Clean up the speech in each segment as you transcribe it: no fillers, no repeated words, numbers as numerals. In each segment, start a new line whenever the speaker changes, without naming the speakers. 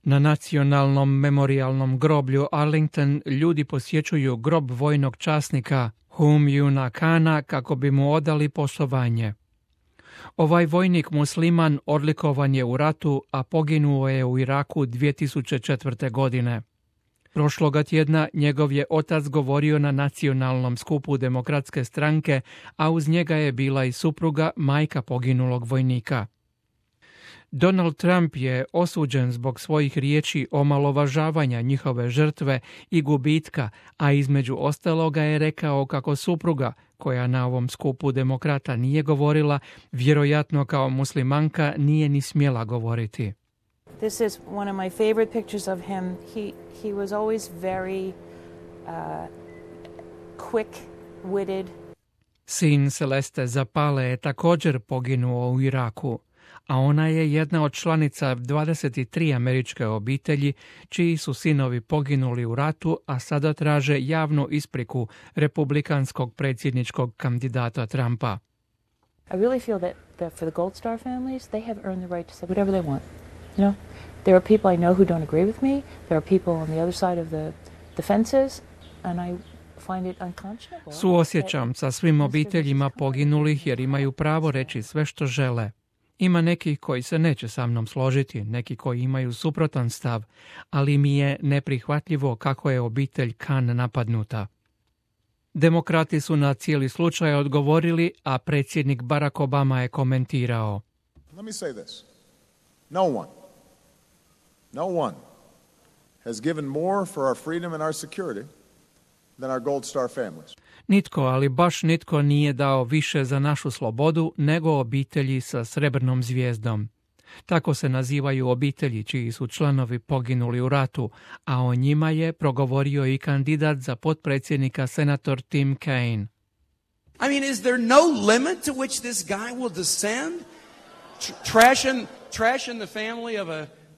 Na nacionalnom memorijalnom groblju Arlington ljudi posjećuju grob vojnog časnika Hum Yuna Kana kako bi mu odali poštovanje. Ovaj vojnik musliman odlikovan je u ratu, a poginuo je u Iraku 2004. godine. Prošloga tjedna njegov je otac govorio na nacionalnom skupu Demokratske stranke, a uz njega je bila i supruga, majka poginulog vojnika. Donald Trump je osuđen zbog svojih riječi omalovažavanja njihove žrtve i gubitka, a između ostaloga je rekao kako supruga, koja na ovom skupu demokrata nije govorila, vjerojatno kao muslimanka nije ni smjela govoriti.
This is one of my favorite pictures of him. He was always very quick-witted.
Sin Celeste Zapale je također poginuo u Iraku, a ona je jedna od članica 23 američke obitelji čiji su sinovi poginuli u ratu, a sada traže javnu ispriku republikanskog predsjedničkog kandidata Trumpa.
I really feel that for the Gold Star families, they have earned the right to say whatever they want. You know, there are people I know who don't agree with me. There are people on the other side of the fences, and I find it unconscionable.
Suosjećam sa svim obiteljima poginulih jer imaju pravo reći sve što žele. Ima neki koji se neće sa mnom složiti, neki koji imaju suprotan stav, ali mi je neprihvatljivo kako je obitelj Khan napadnuta. Demokrati su na cijeli slučaj odgovorili, a predsjednik Barack Obama je komentirao.
Let me say this. No one has given more for our freedom and our security than our Gold Star families.
Nitko, ali baš nitko nije dao više za našu slobodu nego obitelji sa srebrnom zvijezdom. Tako se nazivaju obitelji čiji su članovi poginuli u ratu, a o njima je progovorio i kandidat za potpredsjednika senator Tim Kaine.
I mean, is there no limit to which this guy will descend? Trashing the family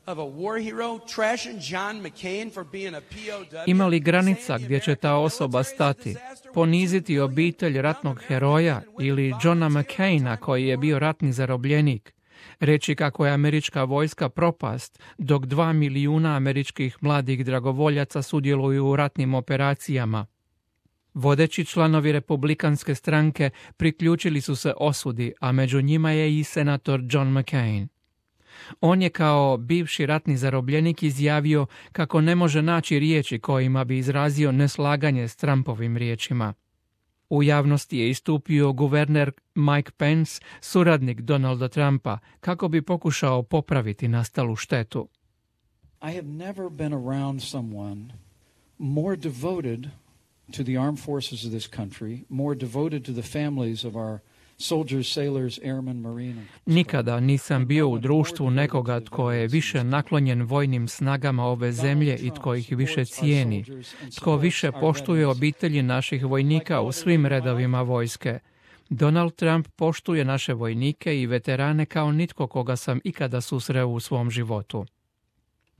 of a war hero, trashing John McCain for being a POW.
Ima li granica gdje će ta osoba stati? Poniziti obitelj ratnog heroja ili Johna McCaina koji je bio ratni zarobljenik? Reći kako je američka vojska propast, dok 2 milijuna američkih mladih dragovoljaca sudjeluju u ratnim operacijama. Vodeći članovi republikanske stranke priključili su se osudi, a među njima je i senator John McCain. On je kao bivši ratni zarobljenik izjavio kako ne može naći riječi kojima bi izrazio neslaganje s Trumpovim riječima. U javnosti je istupio guverner Mike Pence, suradnik Donalda Trumpa, kako bi pokušao popraviti nastalu štetu.
I have never been around someone more devoted to the armed forces of this country, more devoted to the families of our soldiers, sailors, airmen, marine.
Nikada nisam bio u društvu nekoga tko je više naklonjen vojnim snagama ove zemlje i tko ih više cijeni, tko više poštuje obitelji naših vojnika u svim redovima vojske. Donald Trump poštuje naše vojnike i veterane kao nitko koga sam ikada susreo u svom životu.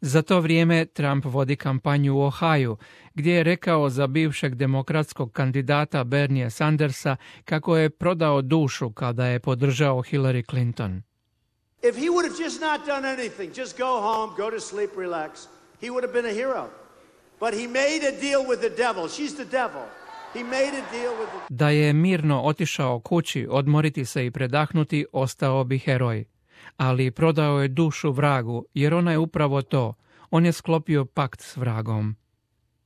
Za to vrijeme Trump vodi kampanju u Ohaju, gdje je rekao za bivšeg demokratskog kandidata Bernie Sandersa kako je prodao dušu kada je podržao Hillary Clinton.
If he would have just not done anything, just go home, go to sleep, relax, he would have been a hero. But he made a deal with the devil. She's the devil. He made a deal with the...
Da je mirno otišao kući, odmoriti se i predahnuti, ostao bi heroj. Ali prodao je dušu vragu, jer ona je upravo to. On je sklopio pakt s vragom.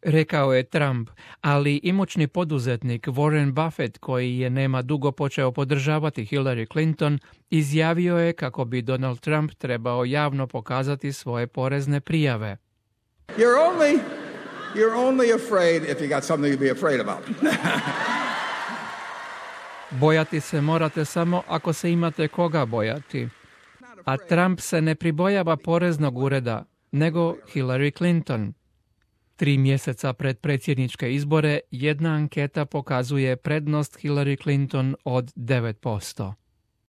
Rekao je Trump, ali imućni poduzetnik Warren Buffett, koji je nema dugo počeo podržavati Hillary Clinton, izjavio je kako bi Donald Trump trebao javno pokazati svoje porezne prijave.
You're only afraid if you got something to be afraid about.
Bojati se morate samo ako se imate koga bojati. A Trump se ne pribojava poreznog ureda, nego Hillary Clinton. 3 mjeseca pred predsjedničke izbore jedna anketa pokazuje prednost Hillary Clinton od 9%.